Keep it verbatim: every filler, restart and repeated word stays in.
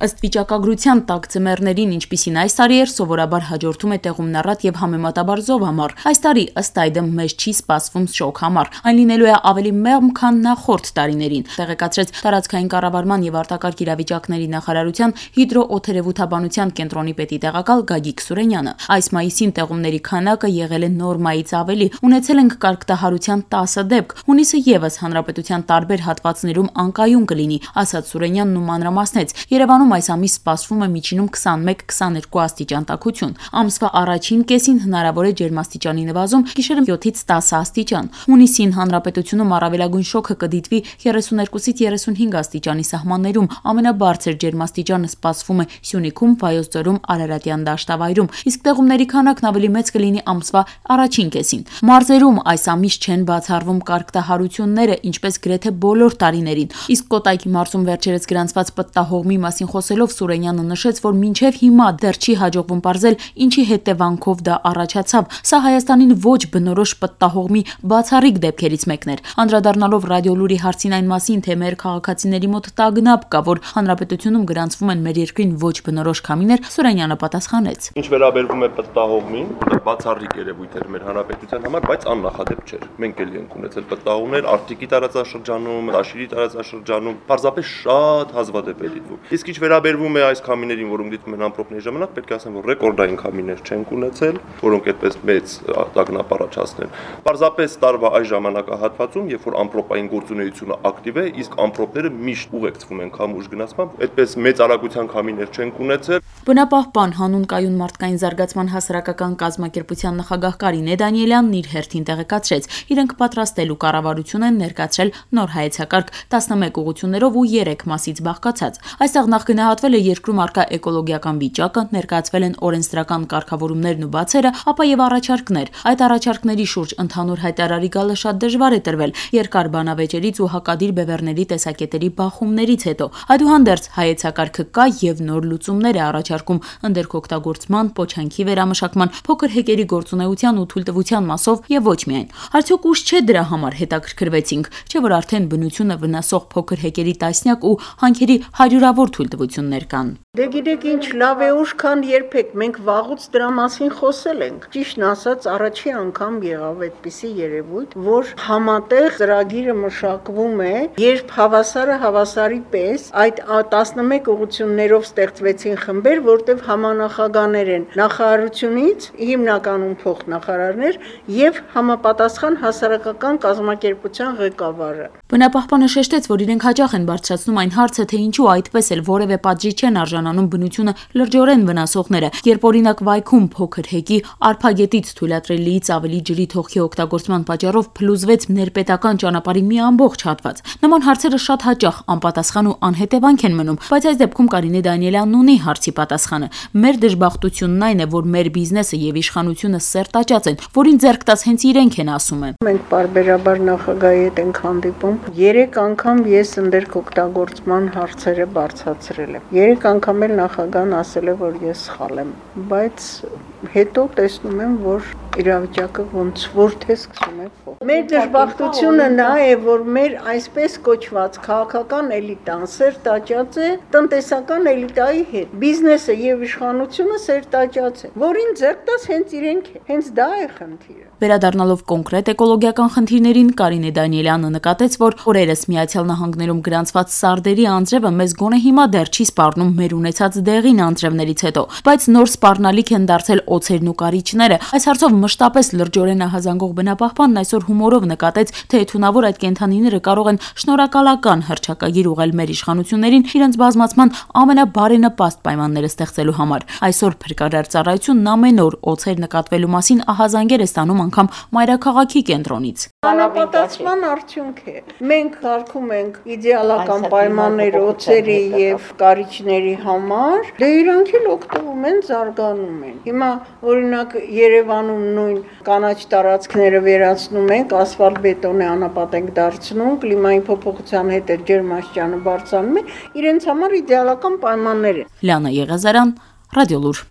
Ըստ վիճակագրության տաք ձմեռներին, ինչպիսին այս տարի էր, սովորաբար հաջորդում է տեղումնառատ եւ համեմատաբար զով ամառ։ Այս տարի ըստ այդմ մեզ չի սպասվում շոգ ամառ, այն լինելու է ավելի մեղմ, քան նախորդ տարիներին, տեղեկացրեց տարածքային կառավարման եւ արտակարգ իրավիճակների նախարարության հիդրոօթերևութաբանության կենտրոնի պետի տեղակալ Գագիկ Սուրենյանը։ Այս մայիսին տեղումների քանակը եղել է նորմայից ավելի, ունեցել ենք կարգտահարության տասը դեպք, հունիսը եւս հանրապետության տարբեր հատվածներում անկայուն կլինի, ասաց Սուրենյանն ու մանրամասնեց. Երևանում այս ամիս սպասվում է միջինում քսանմեկ քսաներկու աստիճան տաքություն։ Ամսվա առաջին կեսին հնարավոր է ջերմաստիճանի նվազում, գիշերը յոթից տասը աստիճան։ Հունիսին հանրապետությունում առավելագույն շոգը կդիտվի երեսուներկուից երեսունհինգ աստիճանի սահմաններում, ամենաբարձր ջերմաստիճանը սպասվում է Սյունիքում, Վայոց ձորում, Արարատյան դաշտավայրում, իսկ տեղումների քանակն ավելի մեծ կլինի ամսվա առաջին կեսին։ Մարզերում այս ամիս չեն բացառվում կարգտահարությունները, ինչպես գրեթե բոլոր տարիներին, իսկ Կոտայքի մարզում վերջերս գրանցված պտտահողմի մասին խոսելով Սուրենյանը նշեց, որ մինչև հիմա դեռ չի հաջողվում պարզել, ինչի հետևանքով դա առաջացավ։ Սա Հայաստանին ոչ բնորոշ պտտահողմի բացառիկ դեպքերից մեկն էր։ Անդրադառնալով Ռադիոլուրի հարցին այն մասին, թե մեր քաղաքացիների մոտ տագնապ կա, որ հանրապետությունում գրանցվում են մեր երկրին ոչ բնորոշ քամիներ, Սուրենյանը պատասխանեց. Ինչ վերաբերվում է պտտահողմին, դա բացառիկ երևույթ էր մեր հանրապետության համար, բայց աննախադեպ չէր։ Մենք էլի ենք ունեցել պտտահողմներ Արտիկի տարածաշրջանում, Տաշիրի տարածաշրջանում, պարզապես շատ հազվադեպ է դիտվում։ Իսկ ինչ վերաբերվում է այս քամիներին, որոնք դիտվում են ամպրոպների ժամանակ, պետք է ասեմ, որ ռեկորդային քամիներ չենք ունեցել, որոնք այդպես մեծ տագնապ առաջացնեն։ Պարզապես տարվա այս ժամանակահատվածում, երբ որ ամպրոպային գործունեությունը ակտիվ է, իսկ ամպրոպները միշտ ուղեկցվում են քամուշ գնացմամբ, այդպես մեծ արագության քամիներ չենք ունեցել։ Բնապահպան, հանուն կայուն մարդկային զարգացման հասարակական կազմակերպության նախագահ Կարինե Դանիելյանն իր հերթին տեղեկացրեց. իրենք պատրաստելու կառավարություն են ներկայացրել նոր հայեցակարգ տասնմեկ ուղղություններով ու երեք մասից բաղկացած։ Այստեղ նախ գնահատվել է երկրում առկա էկոլոգիական վիճակը, ներկայացվել են օրենսդրական կարգավորումներն ու բացերը, ապա եւ առաջարկներ։ Այդ առաջարկների շուրջ ընդհանուր հայտարարի գալը շատ դժվար է տրվել երկար բանավեճերից ու հակադիր բևեռների տեսակետերի բախումներից հետո։ Այդուհանդերձ հայեցակարգը կա եւ նոր լուծումներ է առաջարկում ընդերքօգտագործման, պոչանքի վերամշակման, փոքր հեկերի գործունեության ու թույլտվության մասով եւ ոչ միայն։ Արդյոք ուշ չէ դրա համար հետաքրքրվեցինք, չէ՞ որ արդեն բնությունը վնասող փոքր հեկերի տասնյակ ու հանքերի հարյուրավոր թույլտվություններ կան։ Դե գիտեք ինչ, լավ է ուշ, քան երբեք, մենք վաղուց դրա մասին խոսել ենք։ Ճիշտն ասած, առաջի անգամ եղավ այդպիսի երևույթ, որ համատեղ ծրագիրը մշակվում է, երբ հավասարը հավասարի պես այդ տասնմեկ ուղղություններով ստեղծվեցին խմբեր, որտեղ համանախագահներ են նախարարությունից, հիմնականում փոխնախարարներ եւ համապատասխան հասարակական կազմակերպության ղեկավարը։ Բնապահպանը շեշտեց, որ իրենք հաճախ են բարձրացնում այն հարցը, թե ինչու այդպես էլ որևէ պատժի չեն արժանանում բնությունը լրջորեն վնասողները, երբ օրինակ Վայքում փոքր հեկի արփագետից թույլատրելիից ավելի ջրի թողքի օգտագործման պատճառով փլուզվեց ներպետական ճանապարհի մի ամբողջ հատված։ Նման հարցերը շատ հաճախ անպատասխան ու անհետևանք են մնում, բայց այս դեպքում Կարինե Դանիելյանն ունի հարցի պատասխանը։ Մեր դժբախտությունն այն է, որ մեր բիզնեսը եւ իշխանությունը սերտաճած են, որին ձեռք տաս հենց իրենք են ասում է։ Մենք պարբերաբար նախագահի հետ ենք հանդիպում։ Երեք անգամ ես ընդերքօգտագործման հարցերը բարձրացրել եմ։ Երեք անգամ էլ նախագահն ասել է, որ ես սխալ եմ, բայց հետո տեսնում եմ, որ իրավիճակը ոնց որ թե սկսում է փոխվել։ Մեր դժբախտությունը նա է, որ մեր այսպես կոչված քաղաքական էլիտան սերտաճած է տնտեսական էլիտայի հետ։ Բիզնեսը եւ իշխանությունը սերտաճած է, որին ձեռք տաս հենց իրենք է։ Հենց դա է խնդիրը։ Վերադառնալով կոնկրետ էկոլոգիական խնդիրներին, Կարինե Դանիելյանը նկատեց, որ օրերս Միացյալ Նահանգներում գրանցված սարդերի անձրևը մեզ գոնե հիմա դեռ չի սպառնում մեր ունեցած դեղին անձրևներից հետո, բայց նոր սպառնալիք են դարձել օձերն ու կարիճները։ Այս հարցով մշտապես լրջորեն ահազանգող բնապահպանն այսօր հումորով նկատեց, թե թունավոր այդ կենդանիները կարող են շնորհակալական հռչակագիր ուղղել մեր իշխանություններին իրենց բազմացման ամենաբարենպաստ պայմանները ստեղծելու համար։ Այսօր փրկարար ծառայությունն ամեն օր օձեր նկատվելու մասին ահազանգեր է ստանում անգամ մայրաքաղաքի կենտրոնից։ Անապատասխան արդյունք է։ Մենք հարկում ենք իդեալական պայմաններ օձերի եւ կարիճների համար, դե իրանք էլ օգտվում են, զարգանում են։ Հիմա օրինակ Երևանում նույն կանաչ տարածքները վերացնում ենք, ասֆալտ-բետոնե անապատ ենք դարձնում, կլիմայի փոփոխության հետ էլ ջերմաստիճանը բարձրանում է, իրենց համար իդեալական պայմաններ են։ Լիանա Եղազարյան, Ռադիոլուր։